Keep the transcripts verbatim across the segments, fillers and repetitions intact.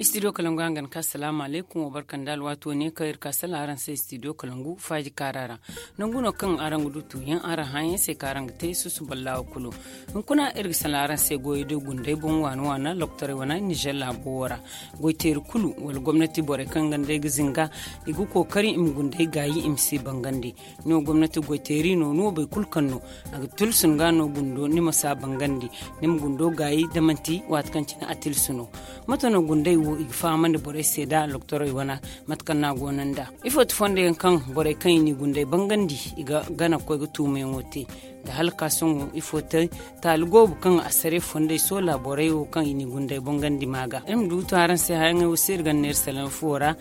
Istidiyo kalangu hangan ka salaamu alaykum wa barka nda alwaati wane kaŋ iri ka salaŋ araŋ se istidiyo kalangu faaji kaara ra. Nangu no kaŋ araŋ ga du tuuyaŋ araŋ hããyaŋ se kaŋ araŋ ga te susu ballaawa kulu. Hunkuna iri ga salaŋ araŋ se goyey day gunday boŋ waana waana lokotaray wana nizer laabo wo ra. Goyteeri kulu wala gomnati borey kaŋ ganda ay ga zinga i ga kookari i ma gunday gaayi i ma si bangandi. Ni wo gomnati goyteeri no ni wo boro kulu kaŋ no a ga tilsu ni ga no gundo ni ma si a bangandi. Ni ma gundo gaayi da manti waati kaŋ cine a tilsu no. Mate no gunday wo i ga fahamandi borey se da lokotorey wana mate kaŋ no a go no nd'a? Ifo ti fondo yaŋ kaŋ borey kaŋ i n'i gunday bangandi i ga gana ga koy ga tuumayaŋo te? Da hala ka sohõ ifo te taali goobu kaŋ a sare fondey soola borey wo kaŋ i n'i gunday bangandi ma ga iri ma du ga to araŋ se haya ŋey wo se iri ganda neera salaŋ fuwo ra.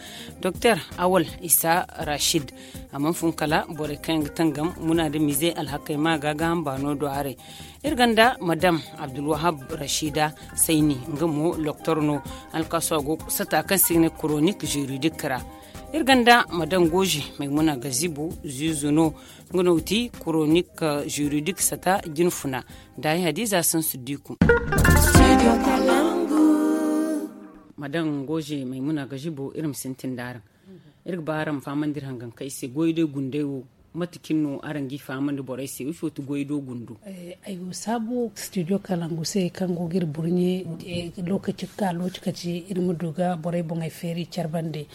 Doktor awal isa rashid a mana fun kala borey kaŋ yaŋ ga tangam muna nda mize alhakey ma ga ga hamba no do haray. Iri ganda madam abdulwahab rashida sayni nga mo loktor no. Alkaaso a go sata kaŋ se i ga ne koronik juridik ra. Iri ganda madam goji maymuna gazibo zuzu no. Nga no ga ti koronik juridik sata jinfuna da ay hadiza sansu diku. Madam goji maymuna gazibo iri ma sintin da araŋ. Iri ga ba araŋ ma fahamandi iri hangan kaŋ i se goy day gunday wo. Mate cine no araŋ g'i fahamandi borey se ifo ti goy do gundo? Ay go saabu studio kalangu se kaŋ go ga iri burɲe lokaci ga ka lokaci iri ma du ga borey boŋey feeri care bande.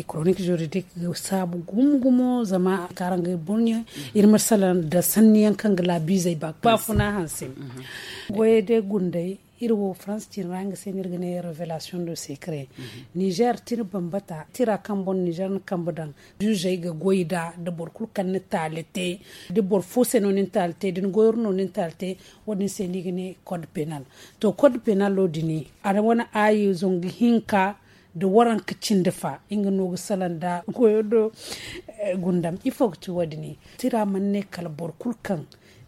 Koronik juridik ga saabu gumo gumo zama kaŋ araŋ ga iri burɲe iri ma salaŋ nda sanni yaŋ kaŋ ga laabiizey ba baafuna hanse. Goyey day gunday iri wo farans cine ra nga se no iri ga ne revelation do secret. Nizer tira bambata tira kaŋ boŋ nizer na kambe daŋ. Zuzey ga goy nd'a da boro kulu kaŋ na taali te da boro fo se no ni na taali te da ni goyoro no ni na taali te. Wo- din se no i ga ne code penal. To code penalo din a wane aayi zangu hinka nda waranka cindi fa nga no ga salaŋ nda goyo do. Gundam ifo ga ti wo- din tira mana ne kala boro kulu kaŋ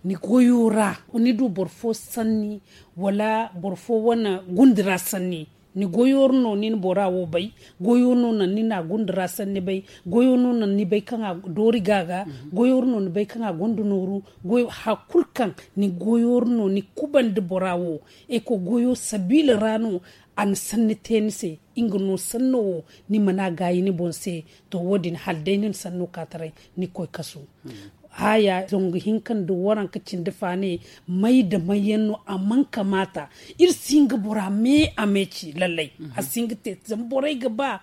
ni goyo ra ni du boro fo sanni wala boro fo wane gundi ra sanni. Ni goyo no ni na bora wo bay. Goyo no naŋ ni na a gundi ra sanni bay. Goyo no naŋ ni bay kaŋ a doori ga ga. Goyo no ni bay kaŋ a gonda nooru. Haya kulu kaŋ ni goyo no ni kubandi bora wo. Eko goyo sabiila ra no a na sanni te ni se. Nga no sanno wo ni mana gaayi ni boŋ se. To wo- din hala day ni na sanno ka taray ni koy kasu. Haya zangu hinka nda waranka cindi fa ne may nda may yaŋ no a mana kamaata. Iri si hin ga bora me a me ci lallay. A si hin ga te zama borey ga ba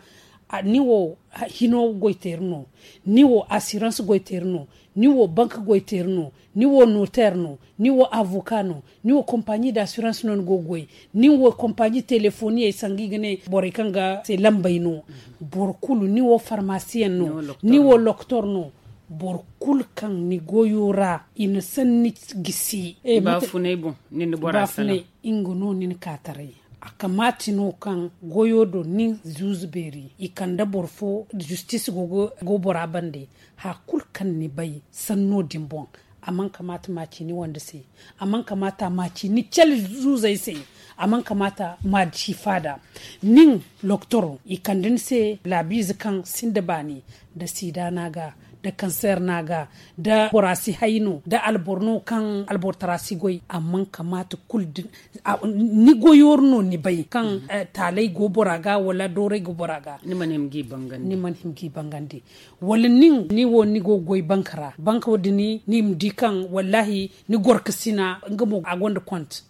ni wo hino goyteeri no, ni wo asirans goyteeri no, ni wo bank goyteeri no, ni wo noteer no, ni wo avoka no, ni wo kompaɲi da asirans no ni go ga goy, ni wo kompaɲi telefoniyey sanga i ga ne borey kaŋ ga se lambey no. Boro kulu ni wo farmasiyaŋ no, ni wo lokotor no. Boro kulu kaŋ ni goyo ra i na sanni gisi. Baafunay boŋ ni na bora salaŋ. Nga no ni na ka taray. A kamaati no kaŋ goyo do nin zuuzu beeri i kande boro fo. Zistis go bora bande. Haya kulu kaŋ ni bay sanno din boŋ a mana kamaata ma ci ni wande se. A mana kamaata ma ci ni cale zuuzey se. A mana kamaata ma ci faada. Nin loktoro i kande ni se laabiize kaŋ sinda baani. Da siida no a ga, da kanseer no a ga, da bora si hay no da alboro no kaŋ alboro tara si goy. A mana kamaata kulu din ni goyoro no ni bay kaŋ taalay go bora ga wala dooray go bora ga. Ni mana hima g'i bangandi. Wala nin ni wo ni go ga goy banka ra banka wo- din ni ma di kaŋ wallaahi ni gorkasina nga mo a gonda kont.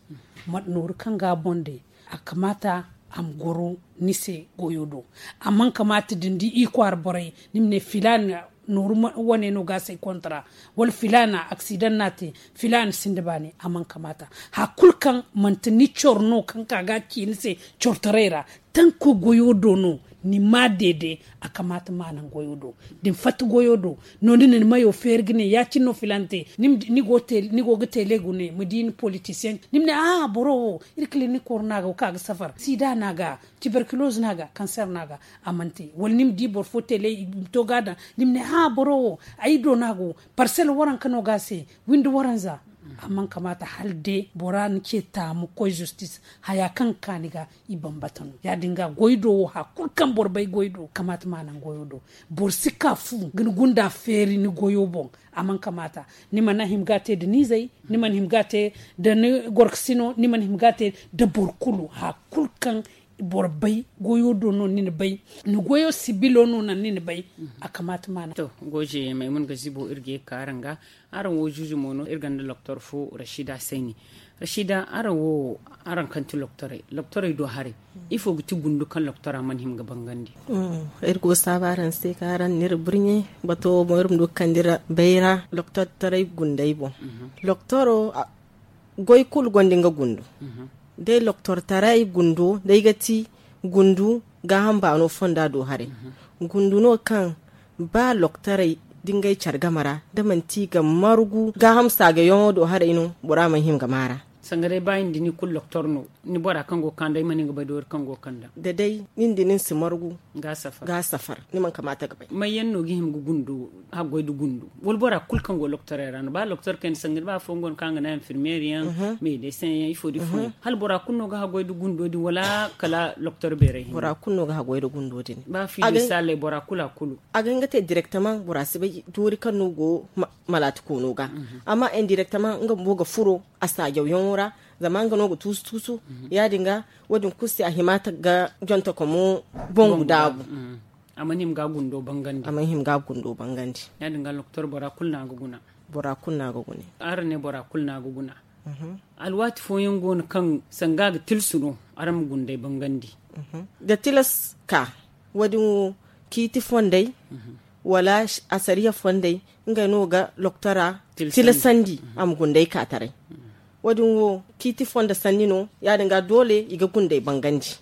Nooru kaŋ ga a boŋ day a kamaata a ma goro ni se goyo do. A mana kamaata da ni di i kwaara borey ni ma ne filaana nooru wane no ga a se kontra wala filaana aksidaŋ no a te. Filaana sinda baani a mana kamaata. Haya kulu kaŋ manti ni coro no kaŋ ka ga a ci ni se corotaray ra tanko goyo do no. Ni ma deede a kamaata ma naŋ goyo do. Da ni fatta goyo do no ni na ni mayo feeri ga ne ya- cine no filaana te. Ni go ga teele gune ma di ni politisiyaŋ ni ma ne a'a boro wo iri kilinik woro no a ga wo kaŋ a ga safar siida no a ga tiberkiloz no a ga kanseer no a ga. A mana te wala ni ma di boro fo teele i to ga a daŋ ni ma ne a'a boro wo ay do no a go. Parsel waranka no ga a se windi waranza. A mana kamaata hala day bora ni ce taamu koy zistis haya kaŋ ga ka ni ga. I bambata no ya- din ga goy do wo haya kulu kaŋ boro bay goy do kamaata ma naŋ goyo do. Boro si ka fu ga ni gunda feeri ni goyo boŋ. A mana kamaata ni mana hima ga a te nda ni izey ni mana hima ga a te nda ni gorkasino ni mana hima ga a te nda boro kulu haya kulu kaŋ boro bay goyo do no ni na bay, ni goyo sibilo no naŋ ni na bay. A kamaata ma naŋ. To, goje maymun ga zibo iri ga ye ka araŋ ga. Araŋ wo zuuzu mo no iri gonda loktor fo, rashida sayni. Rashida, araŋ wo, araŋ kaŋ ti loktorey, loktorey do haray, ifo ga ti gundu kaŋ loktora mana hima ga bangandi? Iri go saabu araŋ se ka araŋ na iri burɲe. Bato wo boŋ iri ma du ga kande iri bayra loktortaray gundey boŋ. Loktoro, goy kulu gonda nga gundu. Day loktortaray gundo day ga ti gundu gaaham baano fonda do haray. Gundu no kaŋ ba loktorey da ngey care game ra, da manti ga margu gaaham saagayaŋo do haray no, bora mana hima ga maara. Sanga day ba ni da ni kulu loktor no, ni bora kaŋ go ga kande ay mana nga bay doori kaŋ go ga kande. Da day ni da ni si margu ga safar, ni mana kamaata ga bay. May yaŋ no ga hima ga gundo haggoy da gundo? Wala bora kulu kaŋ go loktorey ra no? Ba loktor kayna sanga da ba afooyaŋ go no kaŋ ga naŋ infirmeer yaŋ, meedesen yaŋ, ifo da ifo yaŋ, hala bora kulu no ga haggoy da gundo din wala kala loktor beeray hinne? Bora kulu no ga haggoy da gundo din. Ba fiilisaaley bora kulu a kulu a ga hin ga te direktamaŋ, bora si bay doori kaŋ no go malaati koono ga. Amma indirektamaŋ nga bumbo ga furo a saajawyaŋo ra, zama nga no ga tuusu tuusu. Ya- din ga, wo- din kulu se a hima ga jontokomo boŋ ga daabu. A mana hima ga gundo bangandi. A mana hima ga gundo bangandi. Ya- din ga loktor bora kulu no a ga guna. Bora kulu no a ga guna. Araŋ ne bora kulu no a ga guna. Alwaati fooyaŋ go no kaŋ sanga a ga tilsu no araŋ ma gundey bangandi. Da tilas ka wo- din wo, ciiti fondey wala asariya fondey, ngey no ga loktora tilasandi a ma gundey ka taray. Wo- din wo ciiti fondo sanni no. Ya- din ga doole i ga gundey bangandi.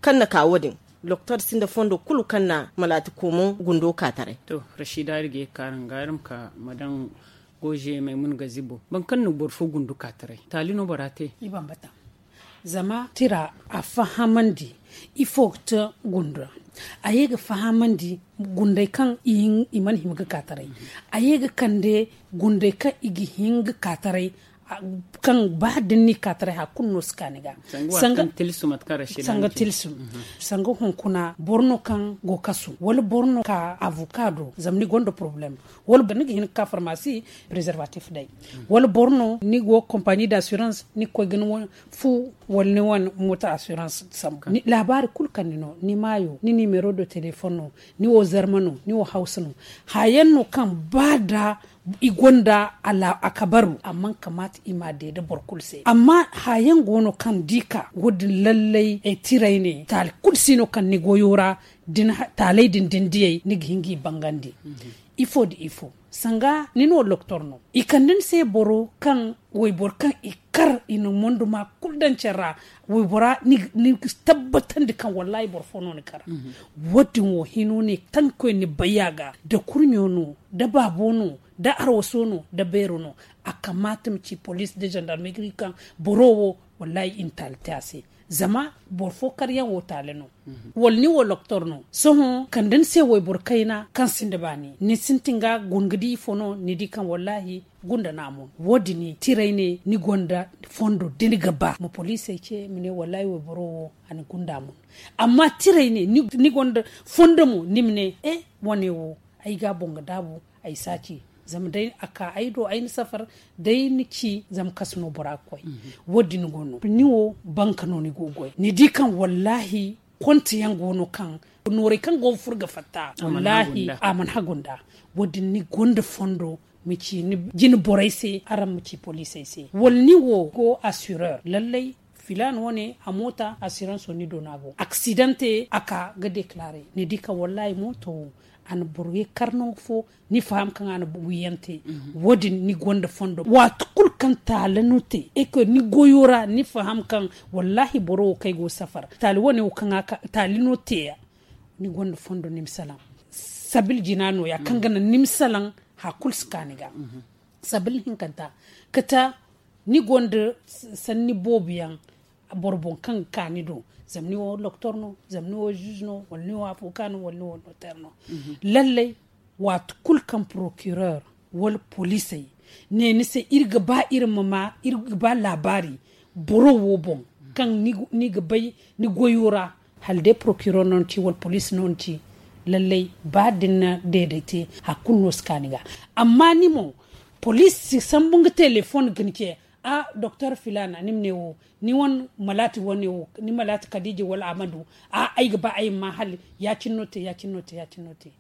Kaŋ na ka wo- din, loktor sinda fondo kulu kaŋ na malaati koomo gundo ka taray. To, rashida iri ga ye ka araŋ ga iri ma ka madan goje maymun ga zibo, boro kaŋ na boro fo gundu ka taray, taali no bora te? I bambata. Zama tira a fahamandi ifo ga te gundu ra. A ye ga fahamandi gundey kaŋ i mana hima ga ka taray. A ye ga kande gundey kaŋ i ga hin ga ka taray, kaŋ ba da ni n'i ka taray hari kulu no si ka ni ga. Sanga tilsu. Sanga hunkuna boro no kaŋ go kasu wala boro no ka avoka do zama ni gonda poroblem, wala ni ga hin ga ka farmasi, preservatif day, wala boro no ni go kompani d'assurance ni ga koy ga ni wane fu wala ni wane moto assurance sambu. Laabaari kulu kaŋ ni no, ni maayo, ni nimero de telefoŋ no, ni wo zarma no, ni wo hawsa no. Haya yaŋ no kaŋ ba da i gonda a kabaru, a mana kamaata i ma a deede boro kulu se. Amma haya yaŋ go no kaŋ da i ka wo- din lallay tiray ne taali kulu si no kaŋ ni goyo ra. Taaley din da ni diyey ni ga hin ga i bangandi. Ifo nda ifo, sanga ni no loktor no, i kande ni se boro kaŋ wayboro kaŋ i kar i na monduma kulu daŋ care ra. Waybora ni ga tabbatandi kaŋ wallahi boro fo no ni kar. Wo- din wo hino ne taŋ koy ni bayya ga, da kurɲo no, da baabo no, da arwaso no, da beero no. A kamaata ma ci police da gendarmerie kaŋ boro wo wallahi i na taali te a se. Zama boro fo karyaŋ wo taali no, wala ni wo loktor no, sohõ kande ni se wayboro kayna kaŋ sinda baani, ni sintin ga guna ga di ifo no, ni di kaŋ wallahi gunda no a mun. Wo- din tiray ne ni gonda fondo da ni ga ba ma poliisey ce ma ne wallahi wayboro wo a na gunda a mun. Amma tiray ne ni gonda fondo mo ni ma ne e, wane wo ay ga a boŋ ga daabu, ay si a ci. Zama day a ka ay do ay na safar, day ni ci zama kasu no bora ga koy. Wo- din go no ni wo banka no ni go ga goy, ni di kaŋ wallahi konti yaŋ go no kaŋ noorey kaŋ go ga furo ga fatta, wallahi a mana hagu nd'a. Wo- din ni gonda fondo ma ci ni jine borey se, araŋ ma ci poliisey se wala ni wo go assureur lallay. Filaana wane a moota assurance wo ni doona go accident te a ka ga déclarer, ni di kaŋ wallahi mooto wo a na boro ye kar nangu fo. Ni faham kaŋ a na wiyaŋ te. Wo- din ni gonda fondo waati kulu kaŋ taala no te e ko ni goyo ra ni faham kaŋ wallahi boro wo kaŋ ay go ga safar taali wane wo kaŋ a ka taali no te ya. Ni gonda fondo ni ma salaŋ sabili jina no- ya kaŋ ga naŋ ni ma salaŋ. Hari kulu si ka ni ga sabili hinkanta kate ni gonda sanni boobo yaŋ boro boŋ kaŋ ga ka ni do. Zama ni wo doktor no, zama ni wo juge no, wala ni wo avoka no, wala ni wo notaire no. Lallay waati kulu kaŋ procureur wala poliisey ne ni se iri ga ba iri ma ma iri ga ba laabaari boro wo boŋ kaŋ ni ga bay ni goyo ra, hala day procureur no ni ci wala police no ni ci, lallay ba da ni na deeday te hari kulu no si ka ni ga. Amma ni mo police si sambu nga teleefon ga ni ce. A doktor filaana ni ma ne wo, ni wane malaati wane wo, ni malaati kadiija wala amadu. A ay ga ba ay ma hala ya- cine no te ya- cine no te ya- cine no te.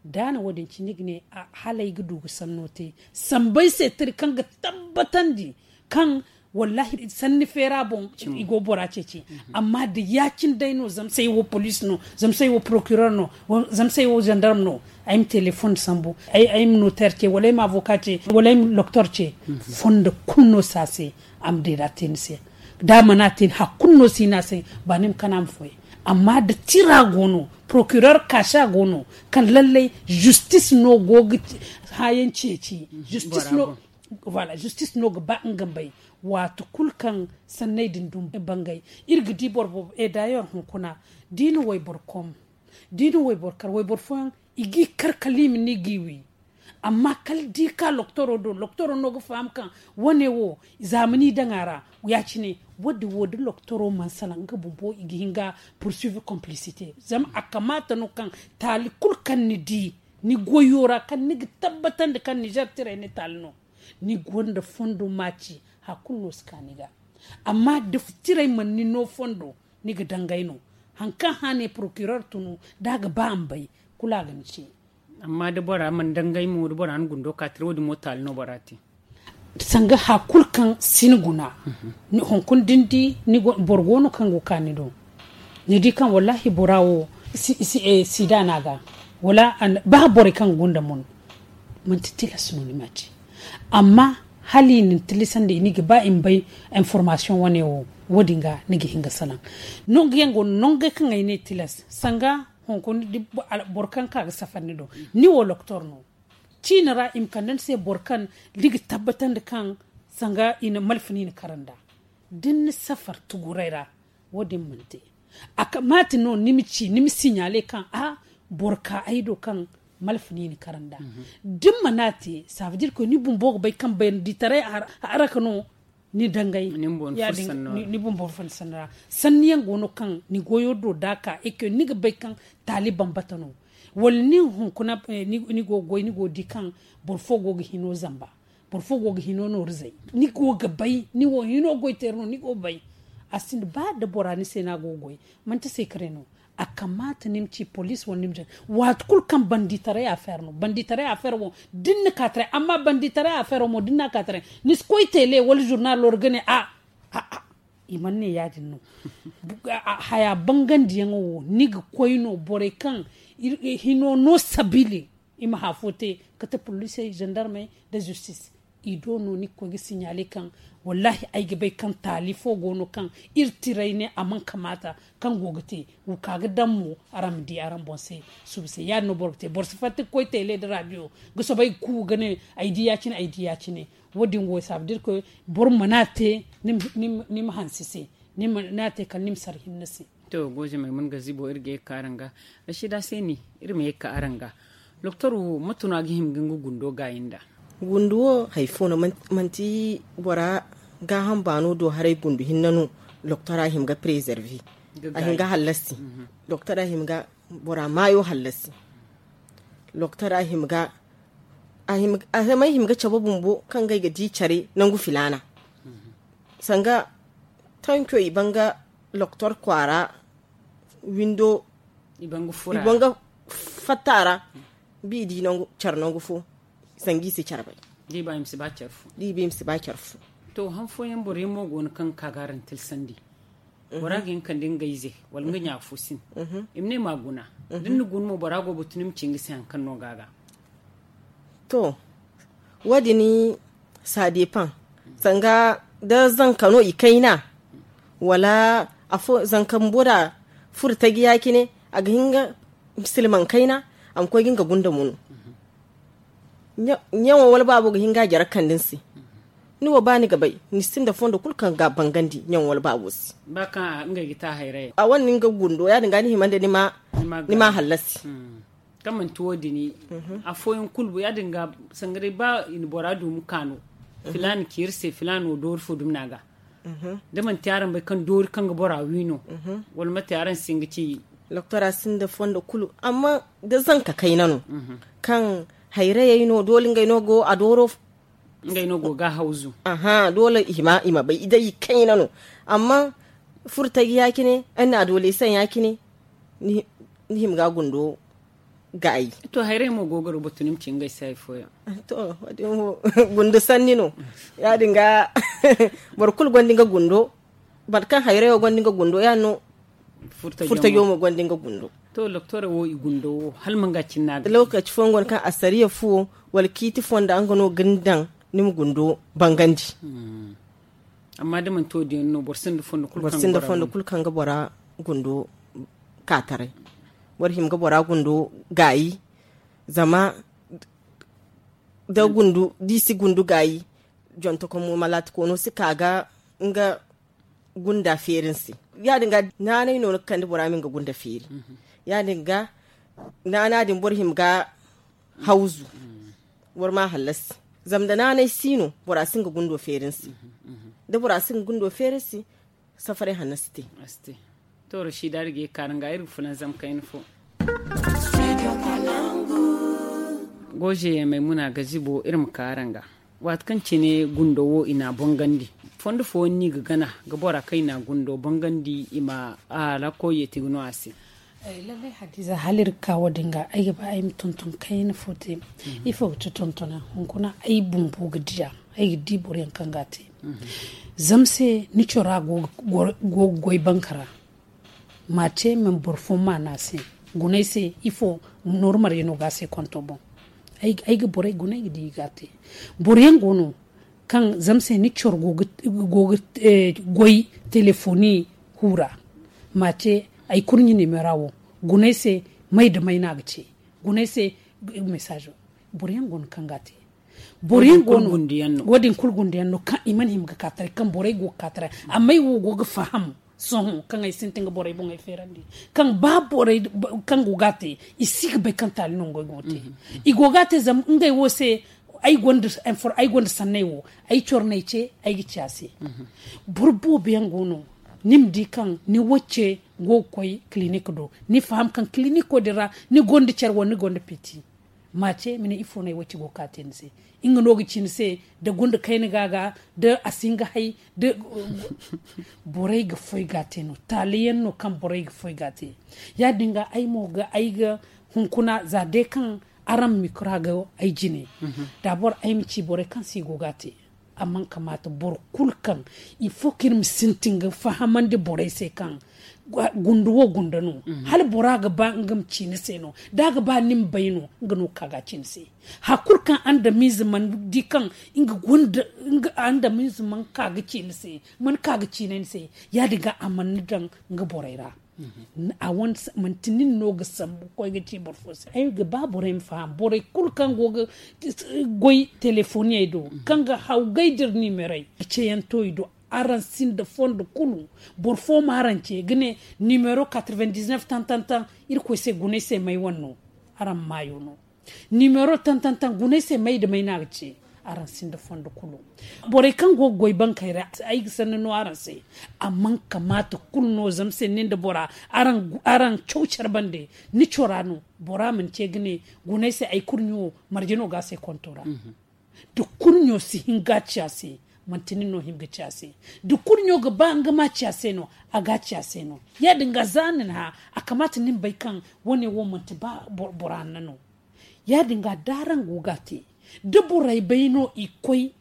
Da a na wo- din ci ni ga ne, hala ay ga du ga sanno te samba ay se tira kaŋ ga tabbatandi kaŋ wallaahi sanni feera boŋ i go bora ceeci. Amma da ya- cine day no zama se ay wo police no, zama se ay wo procureur no, zama se ay wo gendarme no, ay ma telefoŋ sambu, ay ma notaire ce wala ay ma avocat ce wala ay ma doktor ce. Fondo kulu no si a se. A ma deeda te ni se. Da a mana te ni hari kulu no si no a se. Ba ni ma kana ma foy. Amma da tira go no, procureur kaasa go no, kaŋ lallay justice no go ga hããyaŋ ceeci. Justice no ga ba nga ma bay. Waati kulu kaŋ sanney din dum bangay, iri ga di boro boobo e daayeer hunkuna, da i na wayboro kom, da i na wayboro kar wayboro fooyaŋ, i g'i kar kala i ma ne i g'i wi. Amma kala da i ka loktoro do loktoro no ga faham kaŋ wane wo zaamani daŋ a ra. Ya- cine wo- din wo da loktoro mana salaŋ nga bumbo i ga hin ga poursuivre complicité. Zama a kamaata no kaŋ taali kulu kaŋ ni di, ni goyo ra kaŋ ni ga tabbatandi kaŋ nizer tiray ni taali no, ni gonda fondo maaci hari kulu no si ka ni ga. Amma da tiray mana ni no fondo, ni ga dangay no. Hari kaŋ hã ne procureur tunu da a ga ba a ma bay, kulu a ga ni ce. Amma da bora mana dangay mo da bora na gundo ka tira wo- din mo taali no bora te. Sanga hari kulu kaŋ si ni guna, hunkuna da ni di boro go no kaŋ go ga ka ni do, ni di kaŋ wallaahi bora wo sida no a ga, wala ba borey kaŋ ga gunda mo no. Manti tilas no ni ma ci. Amma hala i na ni tilasandi ni ga ba i ma bay information wane wo, wo- din ga ni ga hin ga salaŋ. Nangu yaŋ go no nangey kaŋ ay ne tilas sanga hunkuna boro kaŋ ka ga safar ni do, ni wo loktoro no. Ciina ra i ma kande ni se boro kaŋ ni ga tabbatandi kaŋ sanga i na malfa ni na kara nd'a. Da ni na safar tuguray ra, wo- din mana te. A kamaata no ni ma ci ni ma siɲaale kaŋ a boro ka ay do kaŋ malfa ni na kara nd'a. Da ni mana te saabadiri koy ni bumbo ga bay kaŋ bayanditaray haraka no. Ni dangay ni bumbo ga fun sanni ra. Sanni yaŋ go no kaŋ ni goyo do da a ka eke ni ga bay kaŋ taali bambata no. Wala nin hunkuna ni go ga goy ni go ga di kaŋ boro fo go ga hino zamba, boro fo go ga hino nooru zay. Ni go ga bay ni wo hino goy teeri no ni go ga bay. A sinda ba da bora ni se no a go ga goy. Manti se kare no. A kamaata ni ma ci police wala ni ma jare waati kulu kaŋ banditaray afeer no banditaray afeer wo da ni na ka taray amma banditaray afeer wo mo da ni na a ka taray, ni si koy tele wala zurnalo ra ga ne a a a. I mana ne ya- din no. Haya bangandiyaŋo wo ni ga koy no borey kaŋ hino no sabiili i ma hã fo te, kate polisey zandarmey nda zistis. I do no ni ga koy ga siɲaale kaŋ wallaahi ay ga bay kaŋ taali fo go no kaŋ iri tiray ne a mana kamaata kaŋ go ga te. Wo ka ga daŋ mo araŋ ma di araŋ boŋ se. Suba se ya- din no boro ga te boro si fatta ga koy teele nda raadiyo ga soobay ga ku ga ne ay di ya- cine ay di ya- cine. Wo- din wo saabu da iri koy boro mana te ni ma hanse se. Ni mana te kala ni ma sara hinne se. To goozamey mana ga zibo iri ga ye ga ka araŋ ga. Rashida se ni iri ma ye ga ka araŋ ga. Doktor wo mate no a ga hima ga nga gundo gaayi nd'a? Gundu wo hari fo no manti bora gaaham baano do haray gundu hinne no. Doktor a hima ga preserve a hima ga hallasi. Doktor a hima ga bora maayo hallasi. Doktor a hima ga a hima ga cabe bumbo kaŋ ga ay ga di care nangu filaana. Sanga tanco i ban ga loktor kwaara windo i ban ga fatta a ra. Bi i di care nangu fo sanga i si care bay. Da i ba i ma si ba care fo. To han fooyaŋ boro yaŋ mo go no kaŋ ga ka ga araŋ tilsandi. Bora ga hin ga kande nga ize wala nga ɲa fo sin. I ma ne ma guna da ni na guna mo bora go ga batu ni ma ci nga se hari kaŋ no ga a ga. To wo- din ça dépend. Sanga da zanka no i kayna wala afo zanka bumbo da furo taji ya- cine a ga hin ga silmaŋ kayna a ma koy ga nga gunda mo no. Ɲaŋo wala baabo ga hin ga a jare kande ni se. Ni wo ba ni ga bay ni sinda fondo kulu kaŋ ga a bangandi ɲaŋo wala baabo se. A wane ni nga gundo ya- din ga ni hima nda ni ma hallasi. Kaŋ manti wo- din afooyaŋ kulu ya- din ga sanga day ba i na bora duumi kaano filaana ci iri se filaana wo doori fo dumi no a ga. Da manti araŋ bay kaŋ doori kaŋ ga bora wi no wala mate araŋ si hin ga ci. Doktora sinda fondo kulu amma da zanka kayna no kaŋ hayrayey no doole ngey no go a dooro. Ngey no go ga hawzu. Aha, doole i ma bay i day i kayna no. Amma furtay ya- cine, ay na doole i saŋ ya- cine. Ni hima ga gundo gaayi. To, hayray mo go ga rubutu ni ma ci ngey se hari fooyaŋ. To, wo- din wo gundo sanni no. Ya- din ga boro kulu gonda nga gundo. Boro kaŋ hayray wo gonda nga gundo ya- din no. Furtajo mo gonda nga gundo. To, doktora wo i gundo wo hala ma nga cinna ga. Lokaci fooyaŋ go no kaŋ assariya fuwo wala ciiti fonda nga no ga ni daŋ ni ma gundo bangandi. Amma da manti wo- din no boro sinda fondo kulu kaŋ ga bora gundo kaataray. Boro hima ga bora gundo gaayi. Zama da gundu da i si gundu gaayi. Jonto kaŋ mo malaati koono si ka ga nga gunda feeri ni se. Ya- din ga naanay no ni ga kande bora ma nga gunda feeri. Ya- din ga naana din boro hima ga hawzu. Boro ma hallasi. Zama da naanay si no bora si nga gundo feeri ni se. Da bora si nga gundo feeri ni se, safaray hanno si te. To, rashida da ga ye kaara nga iri ga fulanzam kayna fo. Goje maymuna ga zibo iri ma kaara nga. Waati kaŋ cine gundo wo i na a bongandi, fondo fooyaŋ no i ga gana ga bora kaŋ i na a gundo bongandi i ma a lakoy yeeti ga no a se. Lallai hadiza hala iri ga ka wo- din ga ay ga ba ay ma tonton kayna fo te. Ifo ga ti tontona hunkuna ay bumbo ga diya. Ay ga di boro yaŋ kaŋ ga a te zama se ni cora go ga goy banka ra. Ma te man boro fo ma no a se. Gunay se ifo normal yaŋ no ga a se konto boŋ. Ay ga borey guna ay ga di i ga a te. Boro yaŋ go no kaŋ zama se ni coro go ga goy telefoni hura. Ma te ay kurɲi nimera wo gunay se. May da may no a ga ce gunay se. Mesazo boro yaŋ go no kaŋ ga a te. Boro yaŋ go no wo- din kulu gundiyaŋ no kaŋ i mana hima ga ka taray kaŋ borey go ga ka taray. Amma ay wo go ga faham sohõ kaŋ ay sintin ga borey boŋey feerandi kaŋ ba borey kaŋ go ga a te i si ga bay kaŋ taali no ngey go ga te. I go ga a te zama ngey wo se ay gonda sanney wo ay coro no ay ce ay ga ci a se. Boro boobo yaŋ go no ni ma di kaŋ ni wacce go ga koy kilinik do ni faham kaŋ kiliniko din ra ni gonda care wala ni gonda peti. Ma ce ma ne ifo no ay wacce go ga ka te ni se. Nga no ga ci ni se da gunda kayna ga ga da a si hin ga hay da borey ga foy ga a te no taali yaŋ no kaŋ borey ga foy ga a te. Ya- din ga ay mo ga ay ga hunkuna za day kaŋ araŋ mikra ga ay jine. Da boro ay ma ci borey kaŋ se i go ga a te. Amma kamaata boro kulu kaŋ ifo kaŋ iri ma sintin ga fahamandi borey se kaŋ gundu wo gunda no. Hala bora ga ba nga ma ci ni se no da a ga ba ni ma bay no nga no ga ka ga a ci ni se. Hari kulu kaŋ andamize mana di kaŋ nga gunda andamize mana ka ga ci ni se mana ka ga ci ni se. Ya- din ga a mana ni daŋ nga borey ra. A wane manti nin no ga sambu ga koy ga ci boro fo se ay ga ba borey ma faham borey kulu kaŋ go ga goy telefoniyey do kaŋ ga hawgay da iri nimerey ceyanto i do. Araŋ sinda fondo kulu boro fo ma araŋ ce ga ne nimero quatre-vingt-dix-neuf tan tan tan. Irkoy se guna ay se may wane no. Araŋ maayo no. Nimero tan tan tan guna ay se may da may no a ga ce. Araŋ sinda fondo kulu borey kaŋ go ga goy bankey ra ay ga sanni no araŋ se. Amma kamaata kulu no zama se nin da bora araŋ caw care bande ni cora no. Bora mana ce ga ne guna ay se ay kurɲo marje no ga a se konto ra. Da kurɲo si hin ga a ci a se manti nin no hima ga ci a se. Da kurɲo ga ba nga ma ci a se no a ga a ci a se no. Ya- din ga za ni na hã a kamaata ni ma bay kaŋ wane wo manti ba bora hanna no. Ya- din ga da araŋ go ga a te da borey bay no i koy.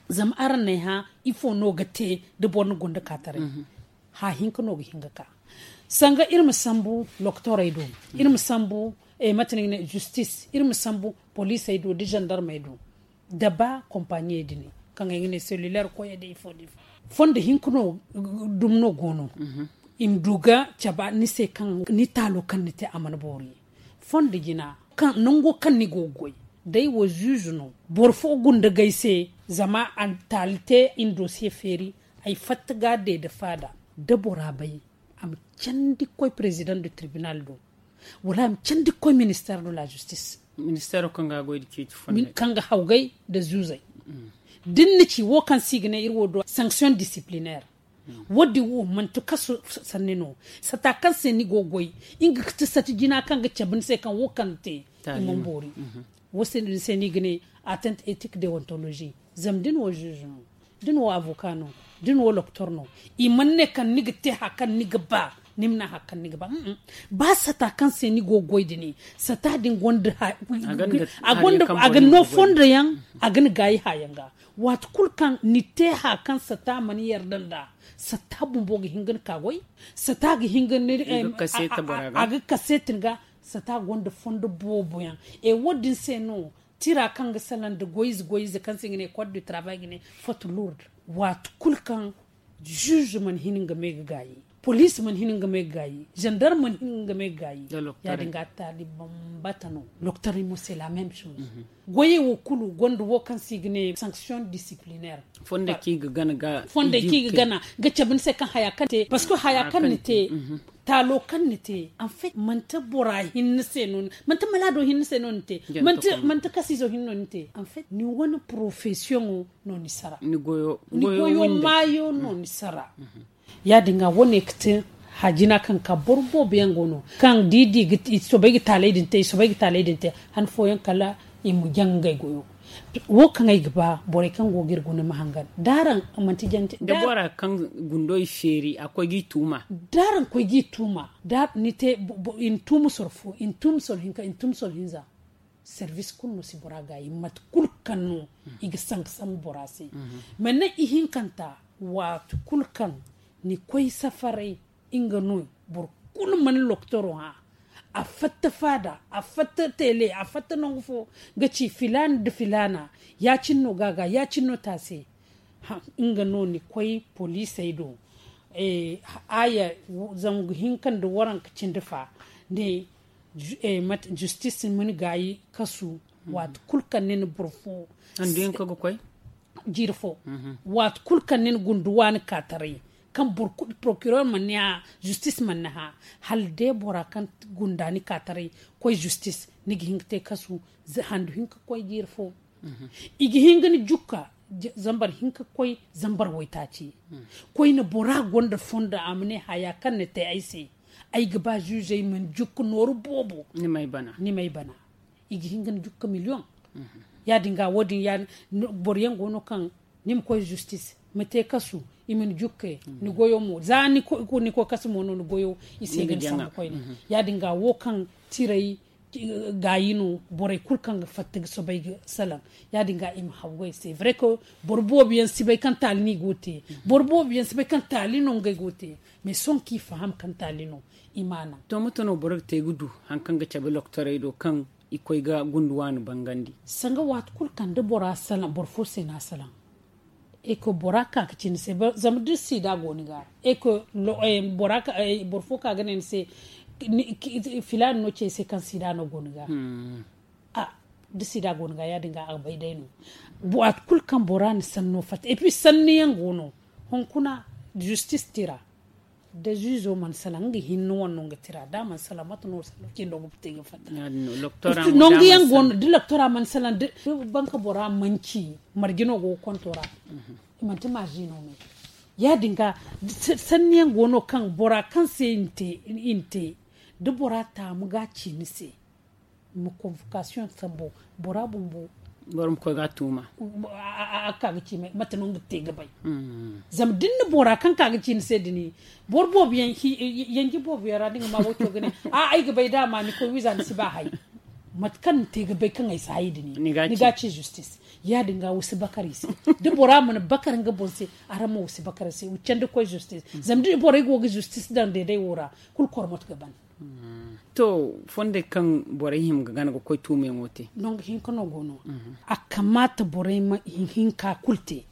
Zama araŋ na ay hã ifo no ga te da boro na gunda ka taray. Hã hinka no ga hin ga ka sanga iri ma sambu lokotorey do. Iri ma sambu mate no ga ne justis iri ma sambu poliisey do da zandarmey do. Da ba kompaɲiyey din kaŋ ay ga ne selulaire koyey da ifo da ifo fondo hinka no. Dumi no go no i ma du ga cabe ni se kaŋ ni taalo kaŋ ni te a mana boori. Fondo jina kaŋ nango kaŋ ni go ga goy day wo zuuzu no. Boro fo gunda ga ay se zama a na taali te i na dosiye feeri. Ay fatta ga a deede faada da bora bay a ma candi ga koy perezidaŋ de tribinal do. Wala a ma candi ga koy ministeer de la justis. Ministeero kaŋ ga goy da ciiti fo kaŋ ga hawgay da zuuzay da ni na ci wo kaŋ se i ga ne iri wo do sanction disciplinaire. Wo- din wo manti kaso sanni no. Sata kaŋ se ni go ga goy nga ga ti sata jina kaŋ ga cabe ni se kaŋ wo kaŋ ni te i mana boori. Wo se no ni se no i ga ne atteinte éthique deontologie. Zama da ni wo zuuzu no, da ni wo avoka no, da ni wo loktor no, i mana ne kaŋ ni ga te hari kaŋ ni ga ba. Ni ma ne hari kaŋ ni ga ba. Ba sata kaŋ se ni go ga goy da ne sata din gonda a gonda a ga no fondo yaŋ. A ga ni gaayi hayaŋ ga. Waati kulu kaŋ ni te hari kaŋ sata mana yarda nd'a, sata bumbo ga hin ga ni ka goy. Sata ga hin ga ni a ga kaseeti ni ga. Sata gonda fondo boobo yaŋ. E wo- din se no tira kaŋ ga salaŋ nda goy ize goy ize kaŋ se i ga ne code du travail ga ne foto lourde. Waati kulu kaŋ zuuzu mana hin nga me ga gaayi, poliisi mana hin nga me ga gaayi, zandarm mana hin nga me ga gaayi. Ya- din ga taali bambata no. Loktaray mo se la même chose. Goyey wo kulu gonda wo kaŋ se i ga ne sanction disciplinaire. Fonday kaŋ i ga gana ga cabe ni se kaŋ haya kaŋ ni te parce que haya kaŋ ni te, taalo kaŋ ni te, en fait manti bora hinne se no manti malaado hinne se no ni te. Manti kasiizo hinne no ni te. En fait ni wane porofesiyoŋo no ni sara. Ni goyo maayo no ni sara. Ya- din ga wane ga te hajina kaŋ ka boro boobo yaŋ go no kaŋ da i di ga i soobay ga taalay din te i soobay ga taalay din te. Han fooyaŋ kala i ma jaŋ ngey goyo. Wo kaŋ ay ga ba borey kaŋ go ga iri guna ma hangan da araŋ manti jante da bora kaŋ gundo i feeri a koy ga i tuuma. Da araŋ koy ga i tuuma da ni te i na tuuma soro fo i na tuuma soro hinka i na tuuma soro hinza. Servis kulu no si bora gaayi mate kulu kaŋ no i ga sanka sambu bora se. Mane ihinkanta waati kulu kaŋ ni koy safaray nga no boro kulu mana loktoro hã. A fatta faada a fatta tele a fatta nangu fo ga ci filaana nda filaana ya- cine no ga a ga ya- cine no te a se. Nga no ni koy poliisey do aaya zangu hinka nda waranka cindi fa ne. Justis ma ni gaayi kasu waati kulu kaŋ ni na boro fo jiiri fo waati kulu kaŋ ni na gundu waani kaataray kaŋ boro kulu porokiror mana ni hã. Justis mana ni hã hala day bora kaŋ gunda ni kaataray koy justis ni ga hin ga te kasu handu hinka koy jiiri fo. I ga hin ga ni jukka zambar hinka koy zambar waytaaci. Koyne bora gonda fondo a ma ne haya kaŋ ni te ay se. Ay ga ba zuzey ma ni jukka nooru boobo. Ni may bana i ga hin ga ni jukka miliyoŋ. Ya- din ga wo- din boro yaŋ go no kaŋ ni ma koy justis ma te kasu i ma ni jukke. Ni goyo mo za ni koy kasu mo no ni goyo i se ga ni sambu koyne. Ya- din ga wo kaŋ tiray gaayi no borey kulu kaŋ ga fatta ga soobay ga salaŋ. Ya- din ga i ma hawgay se vrai que boro boobo yaŋ si bay kaŋ taali no i go ga te. Boro boobo yaŋ si bay kaŋ taali no ngey go ga te. Mais sohõ kaŋ i faham kaŋ taali no i ma a naŋ. To mate no boro ga te ga du hari kaŋ ga cabe loktorey do kaŋ i koy ga gundu waani bangandi? Sanga waati kulu kaŋ da bora salaŋ boro fo se no a salaŋ. E ko bora ka ga ci ni se zama da sida go ni ga e ko boro fo ka ga ne ni se filaana no ci ay se kaŋ sida no go ni ga. Da sida go ni ga ya- din ga a ga bay day no. Waati kulu kaŋ bora na sanno fatta et puis sanni yaŋ go no. Hunkuna justis tira da zuzo mana salaŋ nga hinne wane no nga tira da a mana salaŋ mate no sanno cindo ga te ga fatta. Nangu yaŋ go no da loktora mana salaŋ da banka bora mana ci marje no go ga konto ra. Manti marje no me ya- din ga sanni yaŋ go no kaŋ bora kaŋ se i na te da bora taamu ga ci ni se. Ma convocation sambu bora bumbo boro ma koy ga a tuuma. A ka ga ci mate no nga te ga bay. Zama da ni na bora kaŋ ka ga ci ni se da ni boro boobo yaŋ yanji boobo yaŋ ra da ni ga ma wo co ga ne a ay ga bay da a ma ni koy wiiza ni si ba hay. Mate kaŋ ni te ga bay kaŋ ay si hay da ni ni ga ci justis. Ya- din ga wo si bakar i se da bora mana bakar nga boŋ se. Araŋ ma wo si bakar i se wo candi koy justis. Zama da borey go ga justis daŋ deeday wo ra kulu kormot ga ban. To fondey kaŋ borey hima ga gana ga koy tuumayaŋo te. Nangu hinka no go no. A kamaata borey ma hinka kulu te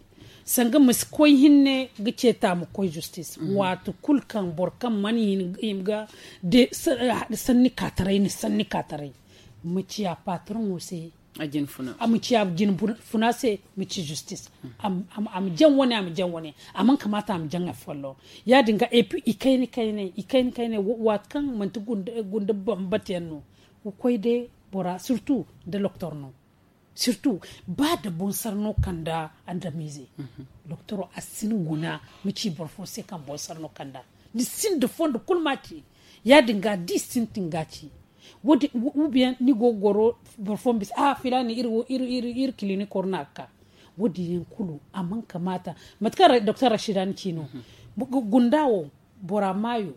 sanga ma si koy hinne ga ceeta ma koy justis waati kulu kaŋ boro kaŋ mana hima ga sanni kaataray ni sanni kaataray ma ciya patroŋo se. A ma ci a jine funa se ma ci justis. A ma jaŋ wane a ma jaŋ wane a mana kamaata a ma jaŋ affollo. Ya- din ga et puis i kayna kayna i kayna kayna waati kaŋ manti gunda bambata yaŋ no ga koy day bora surtout da loktor no. Surtout ba da bonsar no kanda andamize. Doktoro a si ni guna ma ci boro fo se kaŋ bonsar no kanda ni sinda fondo kulu ma ci. Ya- din ga da i sintin ga ci. Wo- din ou bien ni go ga goro boro fo ma bisa a filaani iri wo iri iri iri kilinik wara no a ga ka. Wo- din yaŋ kulu a mana kamaata. Mate kaŋ doktor rashida ni ci no, gunda wo, bora maayo,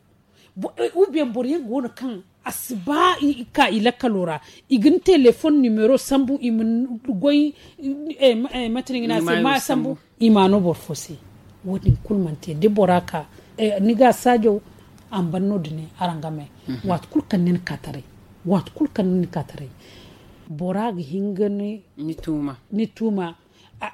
ou bien boro yaŋ go no kaŋ a si ba i ka i lakkalo ra, i ga ni teleefon nimero sambu, i ma goy. Mate no i ga ne a se ma sambu, i ma a no boro fo se. Wo- din kulu mana te da bora ka, ni ga a saajo, a ma ban no- din ne araŋ game. Waati kulu kaŋ ni na ka taray, waati kulu kaŋ ni na ka taray, bora ga hin ga ni tuuma.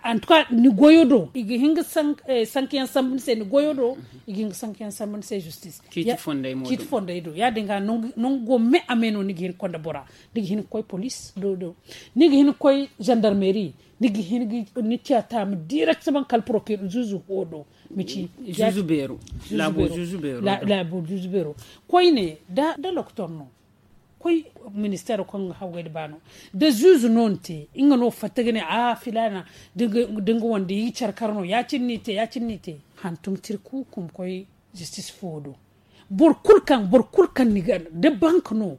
Antuka ni goyo do i ga hin ga sankayaŋ sambu ni se ni goyo do, i ga hin ga sankayaŋ sambu ni se zistis. Ciiti fonday do ya- din ga nangu go me a me no ni ga hin ga konda bora, ni ga hin ga koy polis do do, ni ga hin ga koy zandarmeri, ni ga hin ga ni ciya taamu direkteman kala porokir zuzu ho do. Ma ci zuzu beero. Laabo zuzu beero. Koyne da doktor no, koy ministeero kaŋ ga hawgay nda baano, da zuzu no ni te nga no fatta ga ne a filaana, da nga wande i ga care kar no ya- cine no i te ya- cine no i te. Hantum tira kuuku ma koy zistis fo do. Boro kulu kaŋ ni ga da bank no,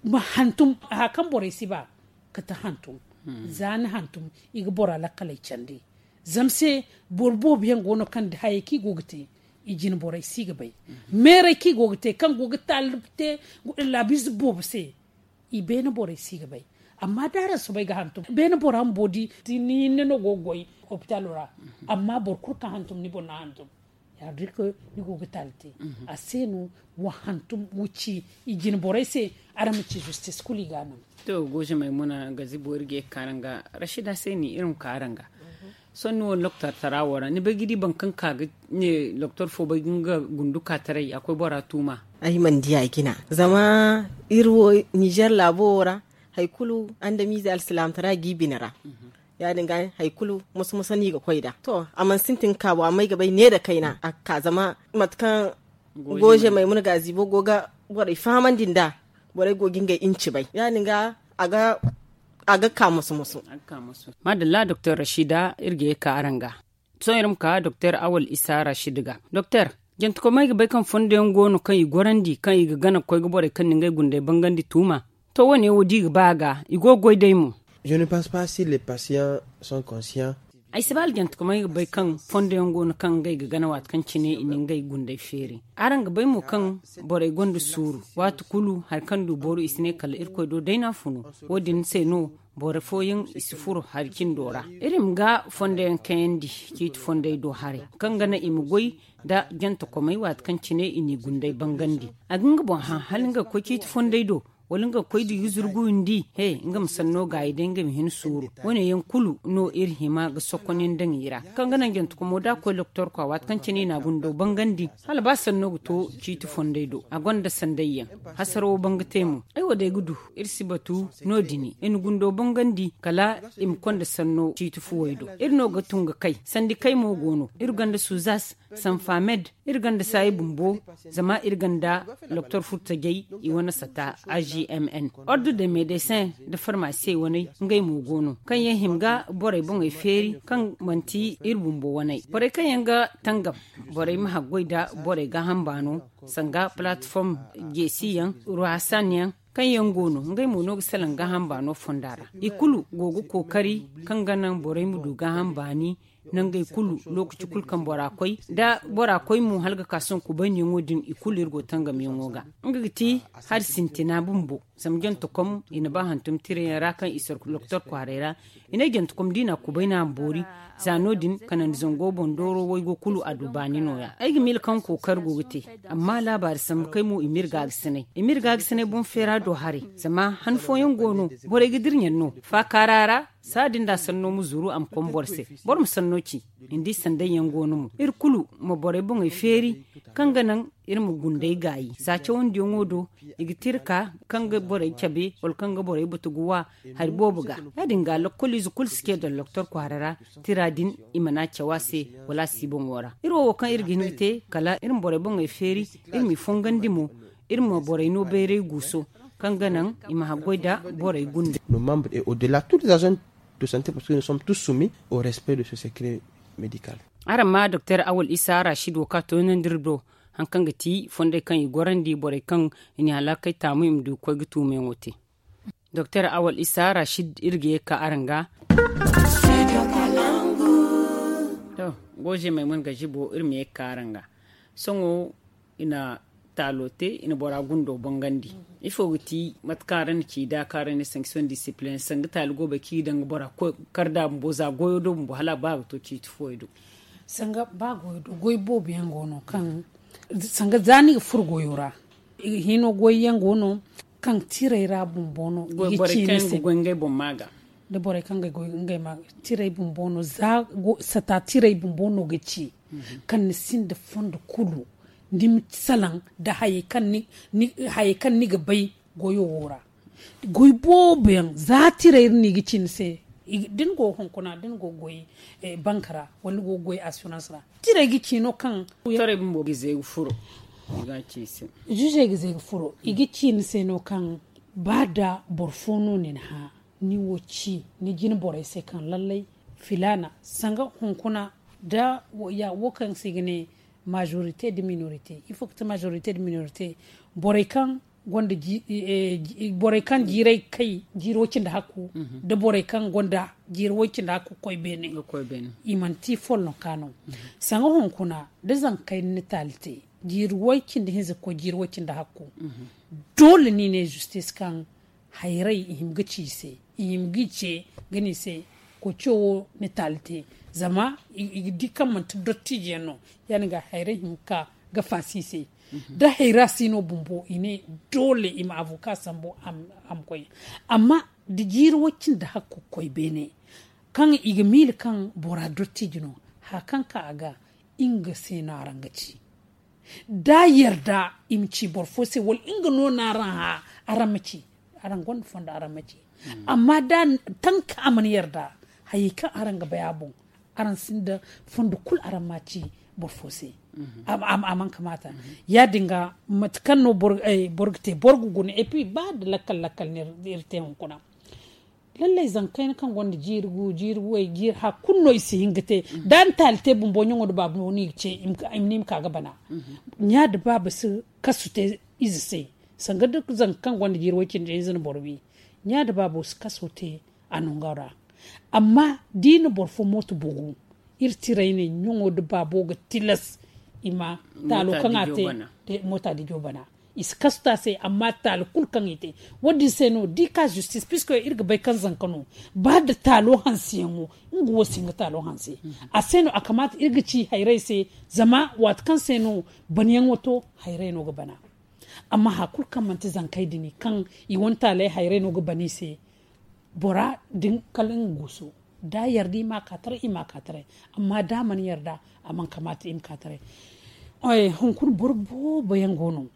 ma hantum haya kaŋ borey si ba, kate hantum. Za ni hantum, i ga bora lakkaley candi. Zama se boro boobo yaŋ go no kaŋ da hayey kaŋ i go ga te, i jine borey si ga bay. Meerey kaŋ i go ga te kaŋ go ga taali te laabiize boobo se, i beene borey si ga bay. Amma da araŋ soobay ga hantum beene bora bumbo di, ni hinne no go ga goy hopitalo ra. Amma boro kulu kaŋ hantum ni boŋ no a hantum. Ya- din ga ni go ga taali te. A se no, wa hantum wa ci i jine borey se. Araŋ ma ci zistis kulu i ga a naŋ. To, goze maymuna gazibo iri ga ye ga ka araŋ ga. Rashida se ni iri ma ka araŋ ga. Sohõ ni wo loktor tara wo ra ni bay ga di boro kaŋ ka ga ne loktor fo bay ga nga gundu ka taray a koy bora tuuma. Ay mana di a jina zama iri wo nizer laabo wo ra, hari kulu andamize alsilaamtara ga i bine ra. Ya- din ga hari kulu musu musu no i ga koy nd'a. To a mana sintin ga ka bo amma ay ga bay ne nda kayna a ga ka zama mate kaŋ goze maymuna gaazibo go ga borey fahamandi nd'a. Borey go ga ngey inci bay ya- din ga a ga ka musu musu. Maadalla doktor rashida iri ga ye ga ka araŋ ga. Sohõ iri ma ka doktor awal isa rashid ga. Doktor, jantakomey ga bay kaŋ fondo yaŋ go no kaŋ i gorandi kaŋ i ga gana ga koy ga borey kaŋ na ngey gunday bangandi tuuma. To wo- ne wo da i ga ba a ga i go ga goy day mo. Je ne pense pas si les patients sont conscients. Ay si ba hala jantakomey ga bay kaŋ fondo yaŋ go no kaŋ ngey ga gana waati kaŋ cine i na ngey gunday feeri. Araŋ ga bay mo kaŋ borey gonda suuru, waati kulu hari kaŋ du booru i si ne kala irkoy do day no a funu. Wo- din se no boro fooyaŋ i si furo hari cindo ra. Iri ma ga fondo yaŋ kayandi ciiti fondey do haray kaŋ ga naŋ i ma goy nda jantakomey waati kaŋ cine i n'i gunday bangandi. A ga nga boŋ hã hala nga ga koy ciiti fondey do, wala nga ga koy da yuzurgu windi he nga ma sanno gaayi day nga ma hin suuru. Wo- ne yaŋ kulu no iri hima ga sokon yaŋ daŋ i ra kaŋ ga naŋ jantakomo da a koy loktor kwa waati kaŋ cine i na a gundo bangandi. Hala ba sanno ga to ciiti fondey do a gonda sanday yaŋ. Hasarawo banga te mo ay wo day ga du. Iri si batu no- din i na gundo bangandi kala i ma konda sanno ciiti fuwey do. Iri no ga tun ga kay sandi kay mo go no iri gonda suzas, sanfamed, iri gonda saayi bumbo. Zama iri gonda loktor furtajey i wane sata a g m n, ordu de medesin nda farmasiyey waney. Ngey mo go no kaŋ yaŋ hima ga borey boŋey feeri kaŋ manti iri bumbo waney borey kaŋ yaŋ ga tangam. Borey ma haggoy nda borey gaaham baano sanga palatform jeesi yaŋ ruhasan yaŋ kaŋ yaŋ go no ngey mo no ga salaŋ gaaham baano fonda ra. I kulu go ga kookari kaŋ ga naŋ borey ma du gaaham baani. Nangey kulu lookaci kulu kaŋ bora koy da bora koy mo hala ga ka sohõ kubayniyaŋo din i kulu iri go tangamyaŋo ga. Nga ga ti hari sintina bumbo. Zama jantakom i na ba hantum tirayaŋ ra kaŋ i soro loktor kwaaray ra. I ne jantakom da i na a kubay no a ma boori. Za no- din kanandi zango boŋ dooro waygo kulu a du baani nooya ay ga miila kaŋ kookari go ga te. Amma laabaari sambu kay mo i ma iri gaagasinay i ma iri gaagasinay boŋ feera do haray. Zama han fooyaŋ go no borey ga dira ɲaŋ no faakaara ra. Saadin da sanno ma zuru a ma koŋ boro se. Boro ma sanno ci. Ni di sanday yaŋ go no mo iri kulu ma borey boŋey feeri kaŋ ga naŋ iri ma gunday gaayi za cawandiyaŋo do. I ga tira ka kaŋ ga borey cabe wala kaŋ ga borey batu ga wa hari boobo ga. Ya- din ga lokkoliize kulu si ce doktor kwaara ra. Tira din i mana caw a se wala a si boŋo ra iri wo wo kaŋ iri ga hin ga te kala iri ma borey boŋey feeri. Iri m'i fongandi mo iri ma borey no bayray guuso kaŋ ga naŋ i ma haggoy nda borey gunde. Nos membres et au delà toutes les agents de santé parce que nous sommes tous soumis au respect de ce secret médical. Araŋ ma doktor awal isa rashid wo ka toonandi iri do hari kaŋ ga ti fondey kaŋ i gorandi borey kaŋ i na i halaakey taamu i ma du ga koy ga tuumayaŋo te. Doktor awal isa rashid iri ga ye ga ka araŋ ga. Goje maymuna ga jibo iri ma ye ga ka araŋ ga. Sohõ i na taalo te, i na bora gundo bongandi. Ifo ga ti mate kaŋ araŋ na ci da kaŋ araŋ na sanction discipline sanga taali go bay kaŋ i daŋ ga bora kar da bumbo za goyo do bumbo hala a ba ga to ciiti fooyaŋ do? Sanga ba goyo do goy boobo yaŋ go no kaŋ sanga za ni ga furo goyo ra. Hino goy yaŋ go no kaŋ tiray ra bumbo no i ga ci ni se. Goy ngey boŋ ma ga da borey kaŋ ga goy ngey ma ga tiray bumbo no za sata tiray bumbo no ga ci kaŋ ni sinda fondo kulu ni ma salaŋ da hayey kaŋ ni ga bay goyo wo ra. Goy boobo yaŋ za tiray iri no i ga ci ni se da ni go hunkuna da ni go goy banka ra wala ni go goy assurance ra tiray ga ci no kaŋ zuzey ga zay ga furo i ga ci ni se no kaŋ ba da boro fo no ni na hã ni wo ci ni jine borey se kaŋ lallay filaana sanga hunkuna da wo kaŋ se i ga ne majorité da minorité ifo ga ti majorité da minorité borey kaŋ gonda borey kaŋ jiiray kay jiiri way cindi hakku da borey kaŋ gonda jiiri way cindi hakku ga koy beene i manti follonka no. Sanga hunkuna da zankey ni taali te jiiri way cindi hinza ga koy jiiri way cindi hakku doole no i ne justice kaŋ hayray i hima ga ci i se i hima ga i ce ga ne i se koco wo ni taali te zama i ga di kaŋ manti dottijo yaŋ no ya- din ga hayray hima ga ka ga faasi i se da hayra si no bumbo i ne doole i ma avoka sambu a ma koy amma da jiiri way cindi hakku ga koy beene kaŋ i ga miila kaŋ bora dottijo no haya kaŋ ka a ga nga se no araŋ ga ci da yarda i ma ci boro fo se wala nga no no araŋ hã araŋ ma ci araŋ gonda fondo araŋ ma ci amma da tanka a mana yarda hayey kaŋ araŋ ga bay a boŋ araŋ sinda fondo kulu araŋ ma ci boro fo se a mana kamaata ya- din ga mate kaŋ no boro ga te boro ga guna et puis ba da lakkal lakkal no iri te hunkuna lallay zankayna kaŋ gonda jiiri gu jiiri way jiiri hakku no i si hin ga te da ni taali te bumbo ɲaŋo nda baabo no i ma ka ga bana ɲa nda baaba si kasu te ize se sanga da zanka kaŋ gonda jiiri way cindi hinza na boro wi ɲa nda baabo si kaso te a nango ra amma da i na boro fo mooto bugu iri tiray ne ɲaŋo nda baabo ga tilas i ma taalo kaŋ a te moota dijo bana i si kasu te a se amma taali kulu kaŋ i te wo- din se no da i ka justice puisque iri ga bay kaŋ zanka no ba da taalo hanse yaŋo nga wo si hin ga taalo hanse a se no a kamaata iri ga ci hayray se zama waati kaŋ se no banayaŋo to hayray no ga bana amma haya kulu kaŋ manti zankey din kaŋ i wane taaley hayray no ga bana i se bora din kala nga guusu da a yarda i ma a ka taray i ma a ka taray amma da a mana yarda a mana kamaata i ma ka taray hunkuna boro boobo yaŋ go no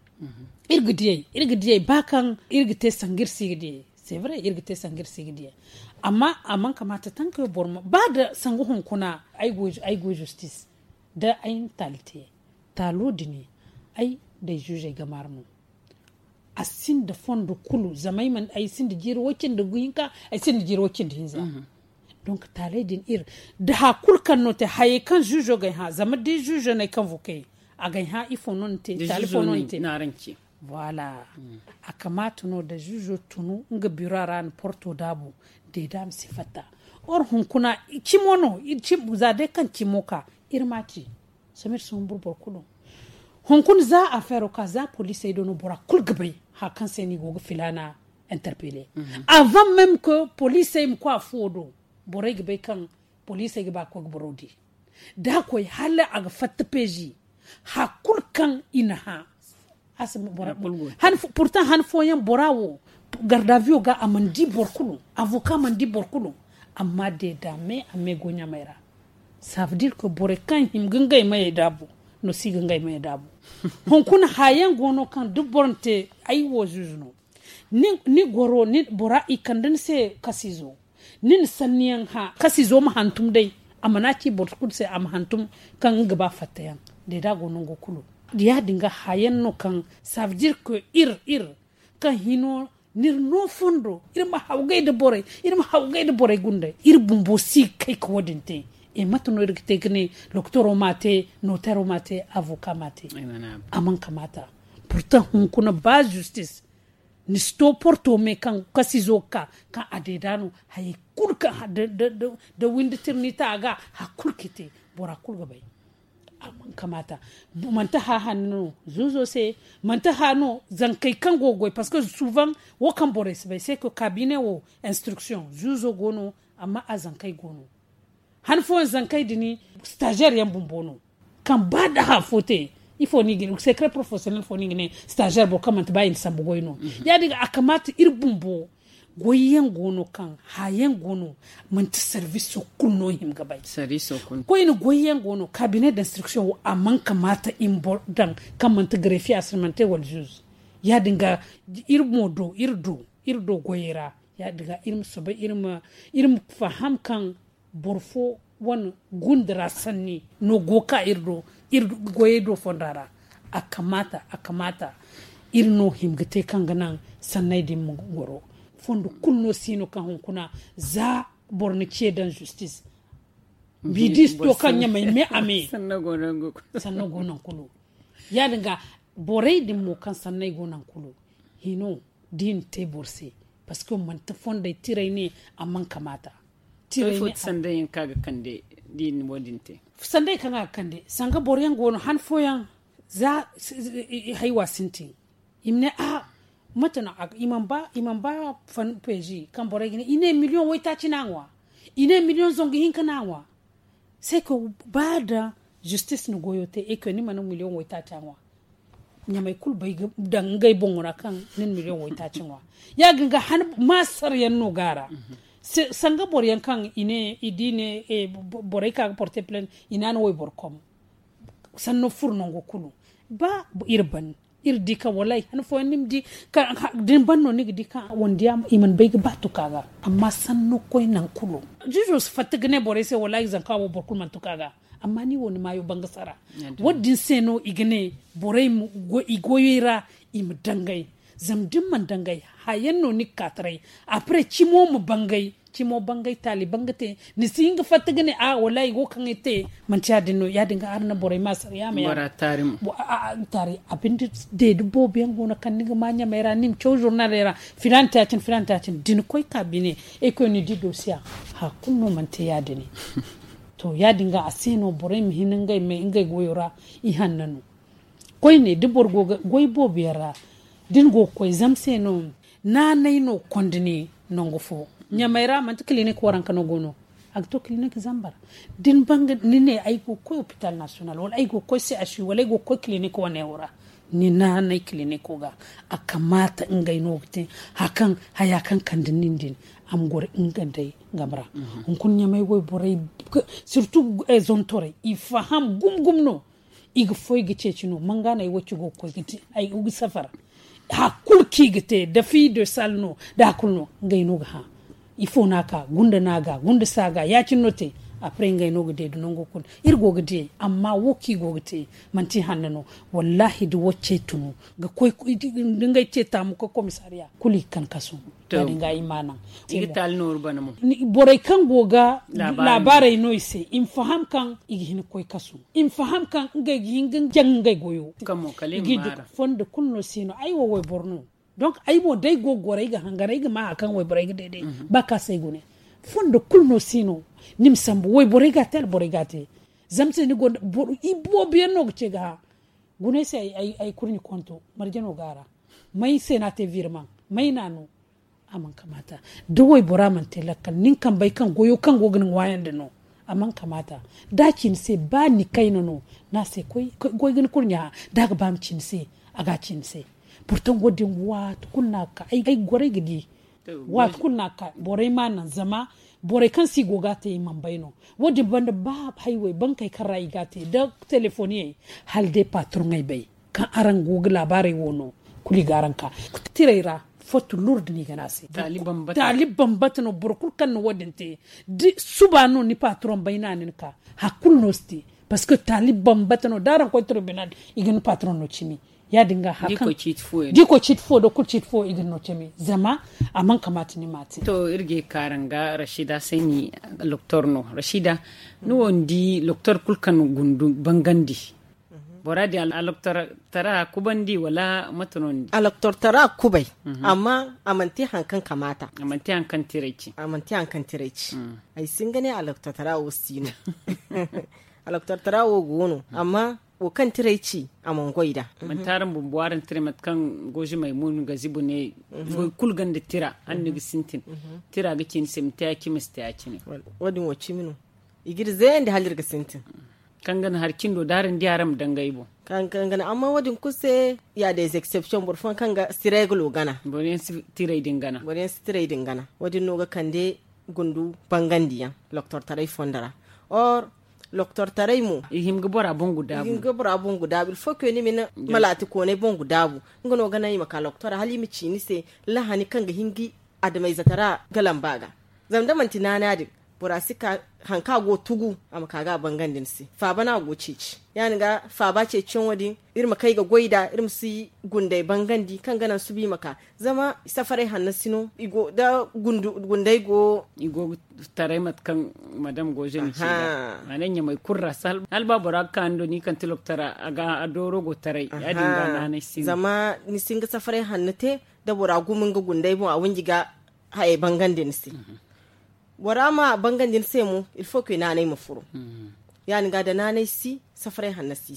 iri ga diyay iri ga diyay ba kaŋ iri ga te sanga iri si ga diyay c'est vrai iri ga te sanga iri si ga diyay amma a mana kamaata tankayo boro ma ba da sanga hunkuna ay go justice da ay na taali te taalo din ay da ay zuzey ga maari no a sinda fondo kulu zama ay sinda jiiri way cindi hinka ay sinda jiiri way cindi hinza donc taaley din iri da haya kulu kaŋ no te hayey kaŋ zuzo ga ay hã zama da zuzo no ay kaŋ vokey a ga ay hã ifo no ni te taali fo no ni te voilà a kamaata no da zuzo tunu nga biro ra ni porto daabu deeda ma si fatta or hunkuna cimo no za day kaŋ cimo ka iri ma ci samir si humbur boro kulu hunkuna za a feero ka za poliisey do no bora kulu ga bay haya kaŋ se no i go ga filaana interpele avant même que poliisey ma koy a fuwo do borey ga bay kaŋ poliisey ga ba ga koy ga boro di da a koy hala a ga fatta peezi haya kulu kaŋ i na hã pourtant han fooyaŋ bora wo gardaviyo ga a mana di boro kulu avoka mana di boro kulu amma deeda me a me go ɲamey ra ça veut dire que borey kaŋ hima ga ngey mayey daabu no si ga ngey mayey daabu hunkuna haya yaŋ go no kaŋ da boro na te ay wo zuzu no ni goro bora i kande ni se kasiizo ni na sanniyaŋ hã kasiizo ma hantum day a mana ci boro kulu se a ma hantum kaŋ nga ga ba fattayaŋ deeda go nango kulu ya- din ga haya yaŋ no kaŋ ça veut dire que iri iri kaŋ hino n'iri no fondo iri ma hawgay nda borey iri ma hawgay nda borey gundey iri bumbo si ga kay ga wo- din te e mate no iri ga te ga ne lokotoro ma te notero ma te avoka ma te a mana kamaata pourtant hunkuna ba justice ni si to porto me kaŋ kasiizo ga ka kaŋ a deeda no hayey kulu kaŋ da windi tirni ta a ga hari kulu ga i te Bora kulu ga bay. A man kamaata. Manti hã hanno no zuuzo se. Manti hã no zankey kaŋ go ga goy parce que suuvaŋ wo kaŋ borey si bay se ka kaabine wo instruction zuuzo go no. Amma a zankey go no. Han fooyaŋ zankey din stagiaire yaŋ bumbo no. Kaŋ ba nda hã fo te ifo no i ga ne secret professionnel fo no i ga ne stagiaire boro kaŋ manti ba i na sambu goy no. Ya- din ga a kamaata iri bumbo goyyaŋ go no kaŋ hã yaŋ go no. Manti service kulu no hima ga bay. Koyne goyyaŋ go no cabinet d'instruction wo a man kamaata i ma boro daŋ kaŋ manti greffier assermenté wala juge. Ya- din ga iri mo do iri do iri do goyey ra. Ya- din ga iri ma soobay iri ma faham kaŋ boro fo wane gunda ra sanni no go ga ka iri do iri goyey do fonda ra. A kamaata a kamaata iri no hima ga te kaŋ ga naŋ sanney din ma goro. Fondo kulu no si no kaŋ hunkuna za boro na ce daŋ justice. Bidis to kaŋ ɲamay me a me sanno go naŋ kulu. Ya- din ga borey din mo kaŋ sanney go naŋ kulu hino da i na te boro se. Parce que manti fondey tirey ne a man kamaata. Tirey ne a- sanday kaŋ a ga kande da i na wo- din te. Sanday kaŋ a ga kande sanga boro yaŋ go no han fooyaŋ za haywa sintin. I ma ne a mate no i mana ba fan peezi kaŋ borey ga ne i ne miliyoŋ waytaaci no a ŋwa. I ne miliyoŋ zangu hinka no a ŋwa. Sai ka ba da justice na goyo te e ka ni mana miliyoŋ waytaaci a ŋwa. Ɲamay kulu bay ga daŋ ngey boŋo ra kaŋ ni na miliyoŋ waytaaci ŋwa. Ya- din ga han maasar yaŋ no ga a ra. Sanga boro yaŋ kaŋ i ne i di ne borey ka ga porte plainte i na a na wayboro kom. Sanno furo nango kulu ba iri ban iri di kaŋ wallahi han fooyaŋ ni ma di da ni ban no ni ga di kaŋ wande yaŋ i mana bay ga ba tuka ga. Amma sanno koy naŋ kulu juujo si fatta ga ne borey se wallahi zanka wo boro kulu mana tuka ga. Amma ni wo ni maayo banga sara. Wo- din se no i ga ne borey i goyey ra i ma dangay. Zama da ni mana dangay hayaŋ no ni ga ka taray. Après cimo ma bangay. Cimo bangay taali banga te ni si hin ga fatta ga ne a wala i go kaŋ ay te. Manti ya- din no ya- din ga araŋ na borey ma sara ya ma ya. Taari a binde deedi boobo yaŋ go no kaŋ ni ga ma ɲamay ra ni ma caw zurnaley ra. Filaana te ya- cine filaana te ya- cine da ni koy ka bine ay koy ni di doosiya. Hari kulu no mana te ya- din. To ya- din ga a se no borey ma hin ngey goyo ra. I hanna no koyne da boro go ga goy boobo yaŋ ra da ni go ga koy zama se no. Naanay no konda ne nangu fo ɲamay ra manti kilinik waranka no go no. A ga to kilinik zambar da ni banga ni ne ay go ga koy hopital nasiyonal wala ay go ga koy se asi wala ay go ga koy kilinik wane wo ra. Ni naanay kiliniko ga a kamaata ngey no ga te. Hari kaŋ haya kaŋ kande nin din a ma goro nga day game ra. Hunkuna ɲamay wayborey sirtu zontorey i faham gumo gumo no. I ga foy ga ceeci no manga no ay wo ci go ga koy ga di ay ga safar. Hari kulu kaŋ i ga te da fi de sal no da hari kulu no ngey no ga hã. Ifo no a ka gunda no a ga gunda si a ga ya- cine no te. Après ngey no ga deedu nango kulu iri go ga diyey amma wo kaŋ i go ga te manti hanno no. Wallahi da wo cey tunu ga koy da ngey ce taamu ga koy komisariya kulu i ga kan kasu. Ya- din ga i ma naŋ. Borey kaŋ go ga laabaarey no i se i ma faham kaŋ i ga hin ga koy kasu. I ma faham kaŋ ngey ga hin ga jaŋ ngey goyo. I ga i duk fondo kulu no si no ay wo wayboro no. Donk ay mo da ay go ga goro ay ga hangan ay ga ma hari kaŋ wayborey ga deeday. Ba kaŋ a se ay gune fondo kulu no si no. Ni ma sambu wayborey ga a te alborey ga a te. Zama se ni gonda boro i boobo yaŋ no ga ce ga hã. Gune ay se ay kurɲe konto marje no go a ra. May se no a te virman may no a no? A mana kamaata da waybora mana te lakkal nin kambey kaŋ goyo kaŋ go ga ni ŋwaayandi no. A mana kamaata da a ci ni se ba ni kayna no. Ni a se koy ga ni kurɲe hã da a ga ba ma ci ni se. A ga a ci ni se. Burtaŋ wo- din waati kulu no a ga ka ay goray ga di. Waati kulu no a ga ka borey ma a naŋ zama borey kaŋ se i go ga a te i mana bay no. Wo- din banda ba haywey bankey kaŋ ra i ga a te da telefoniyey hala day patroŋey bay. Kaŋ araŋ go ga laabaarey wo no kulu i ga araŋ ka tirey ra. Fottu lurdi no i ga ne a se. Taali bambata no boro kulu kaŋ na wo- din te. Suba no ni patroŋ bay no a na ni ka hari kulu no si te. Parceque taali bambata no da araŋ koy tribunal i ga ni patroŋ no cimi. Ya- din ga hari kaŋ da i koy ciiti fo da kulu ciiti fo i ga ni no cimi zama a mana kamaata ni ma a te. To iri ga ye ga ka araŋ ga rashida sayni. Loktor no rashida ni wo ni di loktor kulu kaŋ gundu bangandi. Bora din aloktor tara kubandi wala mate no ni di? Aloktor tara kubay. Amma a manti hari kaŋ kamaata. A manti hari kaŋ tiray ci. A manti hari kaŋ tiray ci. Ay si hin ga ne aloktor tara wo si no. Aloktortara wo go no, amma wo kaŋ tiray ci a mana goy nd'a. Manti araŋ bumbo araŋ tiray mate kaŋ gozi maymun ga zibu ne. Goy kulu gonda tira, araŋ ni ga sintin. Tira ga ci ni se ma te ya-cine ma si te ya-cine. Wo- din wo cimi no. I ga iri zeeyandi hala iri ga sintin. Kaŋ ga na hari cindo da araŋ di araŋ ma dangay boŋ. Kaŋ ga na amma wo- din kulu se ya des exceptions boro fooyaŋ kaŋ ga si reegalo gana. Boro yaŋ si tiray din gana. Wo- din no ga kande gundu bangandiyaŋ loktortaray fondo ra. Or loktortaray mo i hin ga bora boŋ ga daabu. Il faut que ni ma ni malaati koonay boŋ ga daabu. Nga no ga naŋ i ma ka loktora hala i ma ci ni se lahani kaŋ ga hin ga adamayzatara ga lamba ga. Zama da manti naana din bora si ka haŋ kaŋ a go tugu a ma ka ga a bangandi ni se. Faaba no a go ceeci ya- din ga faaba ceeciyaŋo din iri ma kay ga goy nd'a iri ma si gunday bangandi kaŋ ga naŋ suba i ma ka. Zama safaray hanno si no i go da gunday go i go ga taray mate kaŋ madam goze ni ci nd'a. Maana ɲamay kulu ra hala ba bora ga ka ni do ni kaŋ ti loktora a dooro go taray ya- din ga naanay si no. Zama ni si hin ga safaray hanno te da bora gumo nga gunday boŋ a wanji ga hayey bangandi ni se. Bora ma bangandi ni se mo il faut que naanay ma furo. Ya- din ga da naanay si safaray hanno si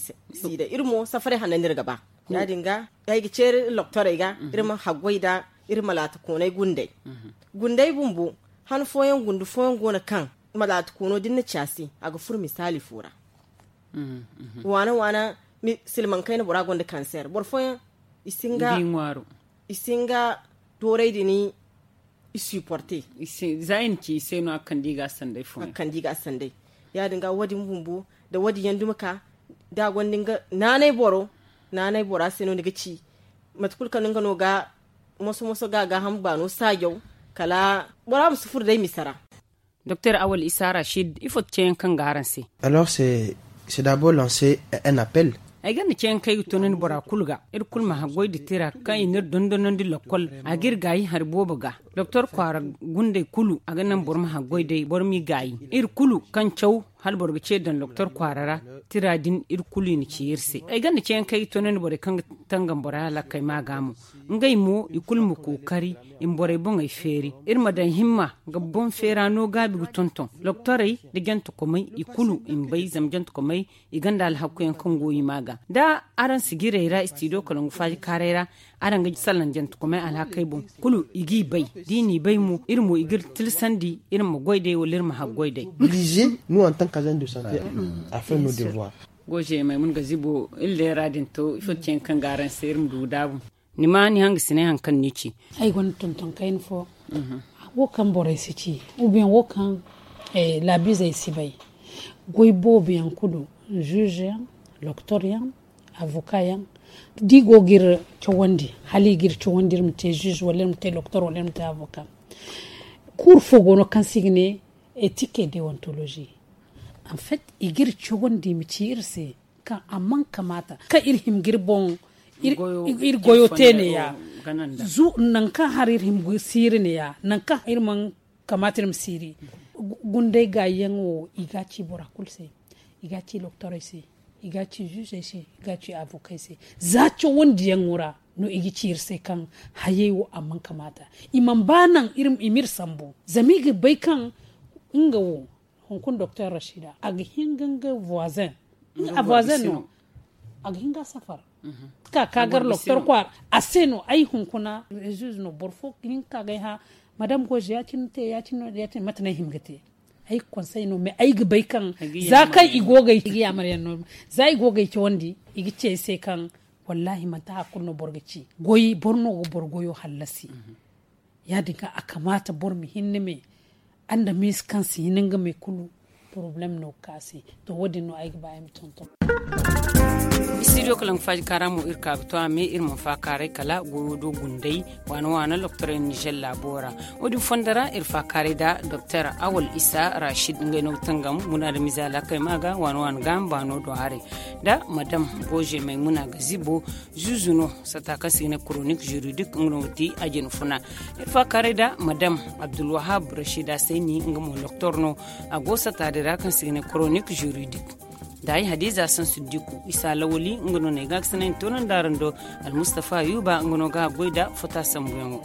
day iri mo safaray hanno no iri ga ba. Ya- din ga ay ga ceeri loktorey ga iri ma haggoy nd'a. Iri malaati koonay gunday gunday bumbo han fooyaŋ gundu fooyaŋ go no kaŋ malaati koono da ni na ci a se a ga furo misaali fo ra. Waana waana silmaŋ kayna bora gonda kanseer boro fooyaŋ i si hin ga dooray din i supporte. Za i na ci i se no a ga kande i ga a sanday fooyaŋ a ga kande i ga a sanday. Ya- din ga wo- din bumbo da wo- din yaŋ dumi ka da a gonda nga naanay boro naanay bora se no ni ga ci mate kulu kaŋ nga no ga moso moso ga a gaaham baano saajaw kala bora ma si furo day misa ra. Doktor awal isa rashid ifo ti ceeyaŋ kaŋ ga araŋ se? Alors c'est d'abord lancer un appel. Ay gonda ceeyaŋ kaŋ ay ga toonandi bora kulu ga iri kulu ma haggoy nda tira kaŋ i n'iri dondonandi lokkol a ga iri gaayi hari boobo ga. Doktor kwaara gunday kulu a ga naŋ boro ma haggoy day boro m'i gaayi iri kulu kaŋ caw hala boro ga ce daŋ doktor kwaara ra. Tira din iri kulu i na ci iri se ay gonda ceeyaŋ kaŋ ay ga toonandi borey kaŋ ga tangan bora lakkay ma ga mo ngey mo i kulu ma kookari i ma borey boŋey feeri iri ma daŋ himma ga boŋ feera no gaabi ga tonton. Doktorey nda jantakomey i kulu i ma bay zama jantakomey i gonda alhakuyaŋ kaŋ go i ma ga da araŋ sijirey ra istidiyo kalangu faaji kaaray ra. Araŋ ga salaŋ jantakomey alhakey boŋ kulu i g'i bay da i n'i bay mo iri mo i g'iri tilasandi iri ma goy day wala iri ma haggoy day. Oblize nu en tant qu'agent de santé a fait nos devoirs. Goje maymuna ga zibo iri leera din to ifo ti ceeyaŋ kaŋ ga araŋ se iri ma du ga daabu. Ni ma ni hangasinay hari kaŋ ni ci. Ay gonda tonton kayna fo wo kaŋ borey si ci ou bien wo kaŋ laabiizey si bay. Goy boobo yaŋ kulu juge yaŋ, doktor yaŋ, avocat yaŋ da i go ga iri cawandi hala i ga iri cawandi iri ma te juge wala iri ma te doktor wala iri ma te avocat. Kuuru fo go no kaŋ se i ga ne ethique et deontologie. En fait i ga iri cawandi i ma ci iri se kaŋ a mana kamaata kaŋ iri hima ga iri boŋ iri goyo te ne ya. Nangu kaŋ hari iri hima ga siiri ne ya nangu kaŋ iri mana kamaata iri ma siiri. Gunday gaayi yaŋ wo i ga a ci bora kulu se. I ga a ci doktorey se, i ga a ci juuzey se, i ga a ci avokey se. Za cawandi yaŋo ra no i ga ci iri se kaŋ hayey wo a mana kamaata. I mana ba naŋ i ma iri sambu zama i ga bay kaŋ nga wo hunkuna doktor rashida a ga hin ga nga voisin. A voisin no a ga hin ga a safar ka ka gar doktor kwaara. A se no ay hunkuna rezuuz no boro fo ga hin ga ka ga ay hã. Madame goze ya- cine no te ya- cine no te ya- cine mate no ay hima ga te. Ay ga konsey no mais ay ga bay kaŋ za kaŋ i go ga ay cawandi i ga ci ay se kaŋ wallaahi manti hari kulu no boro ga ci goy boro no ga boro goyo hallasi. Ya- din ga a kamaata boro ma hinne me andamiize kaŋ si hin nga me kulu. Porobalem no ga ka se. To wo- din no ay ga ba ay ma tonton. Istidiyo kalaŋ faaji kaara mo iri ka ga to a me iri mana faakaaray kala goyo do gunday waana waana doktorey nizer laabo ra. Wo- din fondo ra iri faakaaray nda doktor awal isa rashid ngey no ga tangam munaadamiize alhakey ma ga waana waana gaaham baano do haray nda madam goze maymuna ga zibo. Zuuzu no sata kaŋ se i ga ne koronik juridik nga no ga ti a jina funa. Iri faakaaray nda madam abdulwahab rashida sayni nga mo doktor no. A go sata din ra kaŋ se i ga ne koronik juridik. Nda ay hadiza sansu diku isa lawali nga no no ay ga ga sanay ni toonandi araŋ do. Almustafa yuba nga no ga a goy nda fota sambuyaŋo.